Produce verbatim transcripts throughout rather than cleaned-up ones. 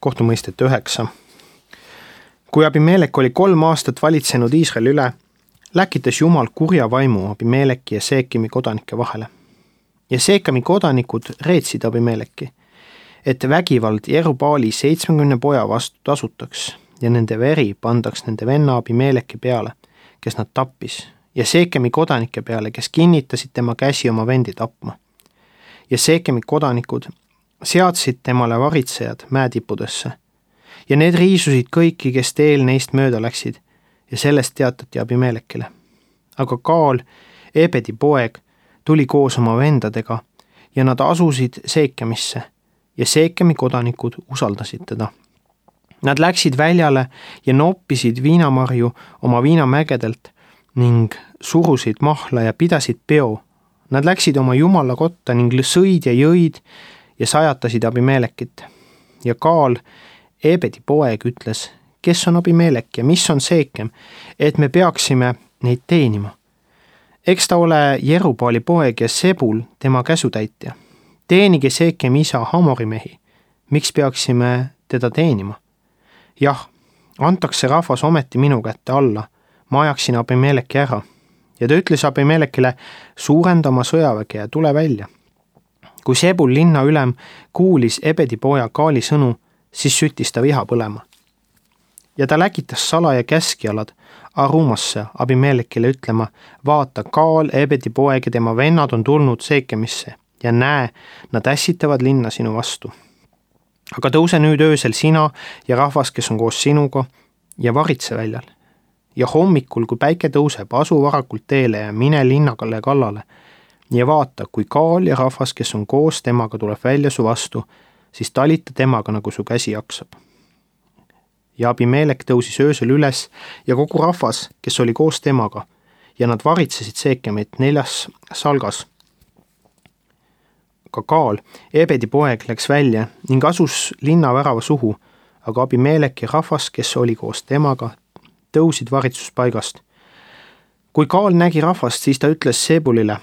kohtumõistet üheksa. Kui Abimelek oli kolm aastat valitsenud Iisraeli üle, läkitas Jumal kurja vaimu Abimeleki ja Seekemi kodanike vahele. Ja Seekemi kodanikud reetsid Abimeleki, et vägivald Jerubaali seitsmekümne poja vastu tasutaks ja nende veri pandaks nende venna Abimeleki peale, kes nad tappis, ja Seekemi kodanike peale, kes kinnitasid tema käsi oma vendi tapma. Ja Seekemi kodanikud seadsid temale varitsejad mäetippudesse ja need riisusid kõiki, kes teel neist mööda läksid, ja sellest teatati Abimelekile. Aga Kaal, Ebedi poeg, tuli koos oma vendadega ja nad asusid Seekemisse ja Seekemi kodanikud usaldasid teda. Nad läksid väljale ja noppisid viinamarju oma viinamägedelt ning surusid mahla ja pidasid peo. Nad läksid oma jumala kotta ning sõid ja jõid ja sajatasid Abimelekit. Ja Kaal, Ebedi poeg, ütles, kes on Abimelek ja mis on Seekem, et me peaksime neid teenima. Eks ta ole Jerubaali poeg ja Sebul tema käsutäitja. Teenige Seekem isa Hamori mehi. Miks peaksime teda teenima? Jah, antaks see rahvas ometi minu kätte alla. Ma ajaksin Abimeleki ära. Ja ta ütles Abimelekile, suurenda oma sõjaväge ja tule välja. Kui Sebul linna ülem kuulis Ebedi poja Kaali sõnu, siis süttis ta viha põlema. Ja ta läkitas salaja käskjalad Arumasse Abimelekile ütlema, vaata, Kaal, Ebedi poeg ja tema vennad on tulnud Seekemisse ja näe, nad ässitavad linna sinu vastu. Aga tõuse nüüd öösel sina ja rahvas, kes on koos sinuga, ja varitse väljal. Ja hommikul, kui päike tõuseb, asu varakult teele ja mine linnakale kallale. Ja vaata, kui Kaal ja rahvas, kes on koos temaga, tuleb välja su vastu, siis talita temaga, nagu su käsi jaksab. Ja Abimelek tõusis öösel üles ja kogu rahvas, kes oli koos temaga, ja nad varitsesid Seekemit neljas salgas. Ka Kaal, Ebedi poeg, läks välja ning asus linna värava suhu, aga Abimelek ja rahvas, kes oli koos temaga, tõusid varitsuspaigast. Kui Kaal nägi rahvast, siis ta ütles Sebulile,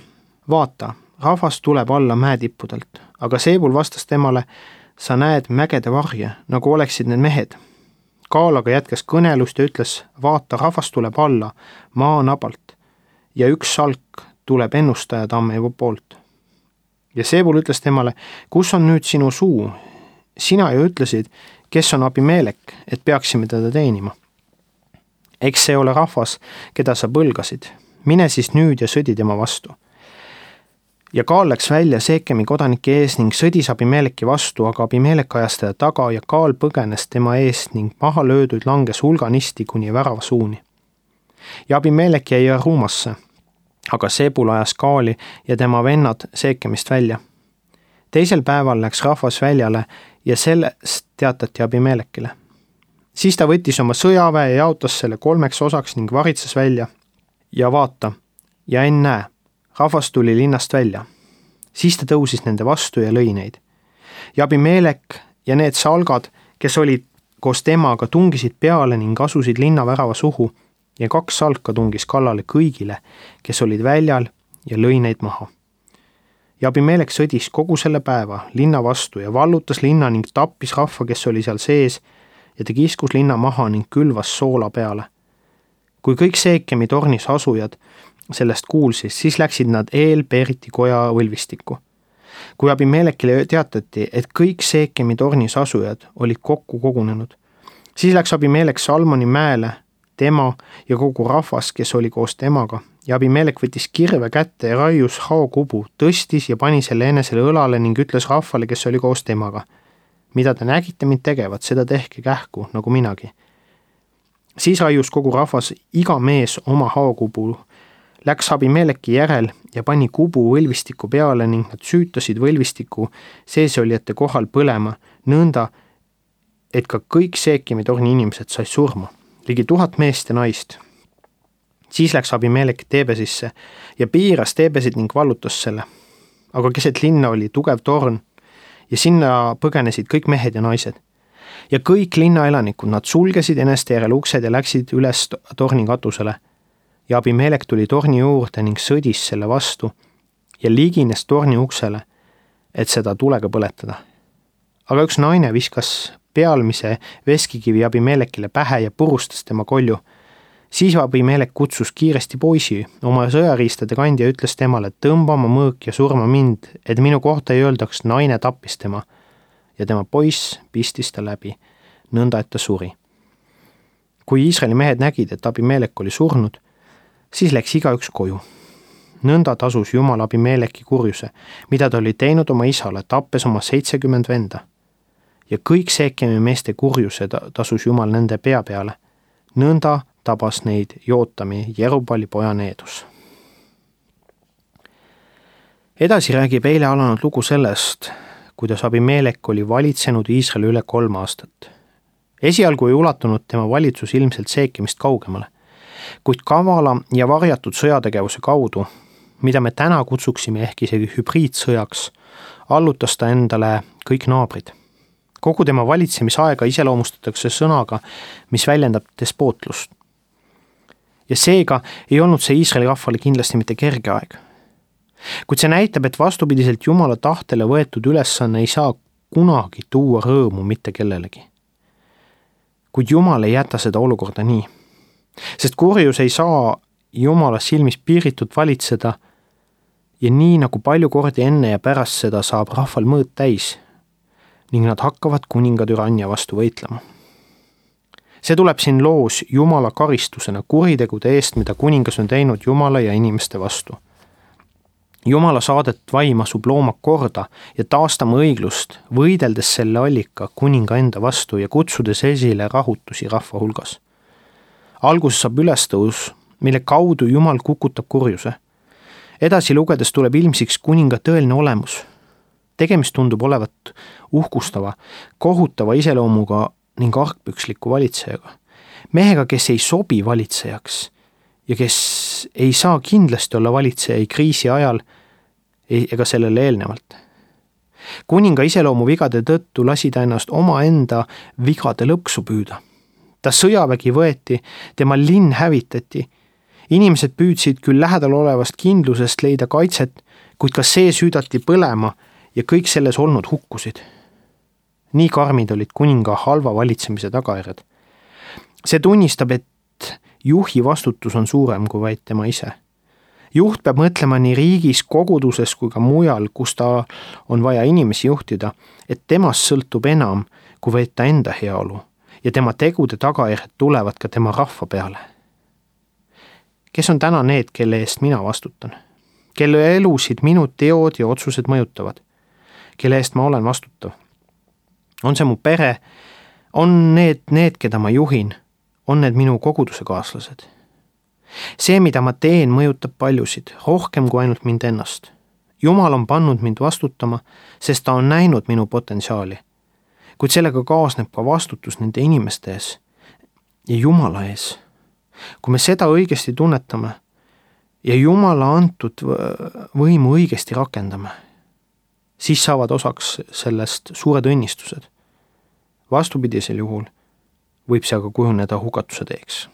vaata, rahvas tuleb alla mäetippudelt, aga Sebul vastas temale, sa näed mägede varje, nagu oleksid need mehed. Kaal aga jätkas kõnelust ja ütles, vaata, rahvas tuleb alla maa nabalt ja üks salk tuleb ennustaja tamme poolt. Ja Sebul ütles temale, kus on nüüd sinu suu? Sina ju ütlesid, kes on Abimelek, et peaksime teda teenima. Eks see ole rahvas, keda sa põlgasid. Mine siis nüüd ja sõdi tema vastu. Ja Kaal läks välja Seekemi kodanike ees ning sõdis Abimeleki vastu, aga Abimelek ajas teda taga ja Kaal põgenes tema eest ning maha lööduid langes hulganisti kuni värava suuni. Ja Abimelek jäi Arumasse, aga Sebul ajas Kaali ja tema vennad Seekemist välja. Teisel päeval läks rahvas väljale ja sellest teatati Abimelekile. Siis ta võttis oma sõjaväe ja jaotas selle kolmeks osaks ning varitses välja. Ja vaata, ja ennäe, rahvas tuli linnast välja. Siis ta tõusis nende vastu ja lõi neid. Ja Abimelek ja need salgad, kes olid koos temaga, tungisid peale ning asusid linna värava suhu ja kaks salka tungis kallale kõigile, kes olid väljal ja lõi neid maha. Ja Abimelek sõdis kogu selle päeva linna vastu ja vallutas linna ning tappis rahva, kes oli seal sees ja ta kiskus linna maha ning külvas soola peale. Kui kõik Seekemi tornis asujad sellest kuulsid, siis läksid nad eel-Periti koja võlvistikku. Kui Abimelekile teatati, et kõik Seekemi tornis asujad olid kokku kogunenud, siis läks Abimelek Salmoni mäele, tema ja kogu rahvas, kes oli koos temaga, ja Abimelek võttis kirve kätte ja raius haokubu, tõstis ja pani selle enesele õlale ning ütles rahvale, kes oli koos temaga, mida te nägite mind tegevat, seda tehke kähku, nagu minagi. Siis raius kogu rahvas iga mees oma haokubu, läks Abimeleki järel ja pani kubu võlvistiku peale ning nad süütasid võlvistiku seesolijate kohal põlema, nõnda, et ka kõik Seekemi torni inimesed said surma, ligi tuhat meest ja naist. Siis läks Abimelek Teebesisse ja piiras Teebesit ning vallutas selle. Aga keset linna oli tugev torn ja sinna põgenesid kõik mehed ja naised. Ja kõik linna elanikud, nad sulgesid eneste järel uksed ja läksid üles torni katusele. Ja Abimelek tuli torni juurde ning sõdis selle vastu ja ligines torni uksele, et seda tulega põletada. Aga üks naine viskas pealmise veskikivi Abimelekile pähe ja purustas tema kolju. Siis Abimelek kutsus kiiresti poisi oma sõjariistade kandja ja ütles temale, et tõmba oma mõõk ja surma mind, et minu kohta ei öeldaks, naine tappis tema. Ja tema poiss pistis ta läbi, nõnda et ta suri. Kui Iisraeli mehed nägid, et Abimelek oli surnud, siis läks igaüks koju. Nõnda tasus Jumal Abimeleki kurjuse, mida ta oli teinud oma isale, tappes oma seitsekümmend venda. Ja kõik Seekemi meeste kurjuse tasus Jumal nende pea peale. Nõnda tabas neid Jootami, Jerubali poja Needus. Edasi räägib eile alanud lugu sellest, kuidas Abimelek oli valitsenud Iisraeli üle kolm aastat. Esialgu ei ulatunud tema valitsus ilmselt Seekemist kaugemale, kuid kavala ja varjatud sõjategevuse kaudu, mida me täna kutsuksime ehk isegi hübriidsõjaks, allutas ta endale kõik naabrid. Kogu tema valitsemisaega iseloomustatakse sõnaga, mis väljendab despootlust. Ja seega ei olnud see Iisraeli rahvale kindlasti mitte kerge aeg. Kuid see näitab, et vastupidiselt Jumala tahtele võetud ülesanne ei saa kunagi tuua rõõmu mitte kellelegi. Kuid Jumal ei jäta seda olukorda nii, sest kurjus ei saa Jumala silmis piiritult valitseda ja nii nagu palju kordi enne ja pärast seda saab rahval mõõt täis ning nad hakkavad kuninga türannia vastu võitlema. See tuleb siin loos Jumala karistusena kuritegude eest, mida kuningas on teinud Jumala ja inimeste vastu. Jumala saadet vaim asub looma korda ja taastama õiglust, võideldes selle allika kuninga enda vastu ja kutsudes esile rahutusi rahva hulgas. Alguses saab ülestõus, mille kaudu Jumal kukutab kurjuse. Edasi lugedes tuleb ilmsiks kuninga tõeline olemus. Tegemist tundub olevat uhkustava, kohutava iseloomuga ning argpüksliku valitsejaga. Mehega, kes ei sobi valitsejaks ja kes ei saa kindlasti olla valitseja ei kriisi ajal ega sellele eelnevalt. Kuninga iseloomu vigade tõttu lasi ta ennast omaenda vigade lõksu püüda. Ta sõjavägi võeti, tema linn hävitati. Inimesed püüdsid küll lähedal olevast kindlusest leida kaitset, kuid ka see süüdati põlema ja kõik selles olnud hukkusid. Nii karmid olid kuninga halva valitsemise tagajärjed. See tunnistab, et juhi vastutus on suurem kui vaid tema ise. Juht peab mõtlema nii riigis, koguduses kui ka mujal, kus ta on vaja inimesi juhtida, et temast sõltub enam kui vaid ta enda heaolu ja tema tegude tagajärjed tulevad ka tema rahva peale. Kes on täna need, kelle eest mina vastutan? Kelle elusid minu teod ja otsused mõjutavad? Kelle eest ma olen vastutav? On see mu pere? On need need, keda ma juhin? On need minu koguduse kaaslased? See, mida ma teen, mõjutab paljusid, rohkem kui ainult mind ennast. Jumal on pannud mind vastutama, sest ta on näinud minu potentsiaali. Kuid sellega kaasneb ka vastutus nende inimeste ees ja Jumala ees. Kui me seda õigesti tunnetame ja Jumala antud võimu õigesti rakendame, siis saavad osaks sellest suured õnnistused. Vastupidisel juhul võib see aga kujuneda hukatuse teeks.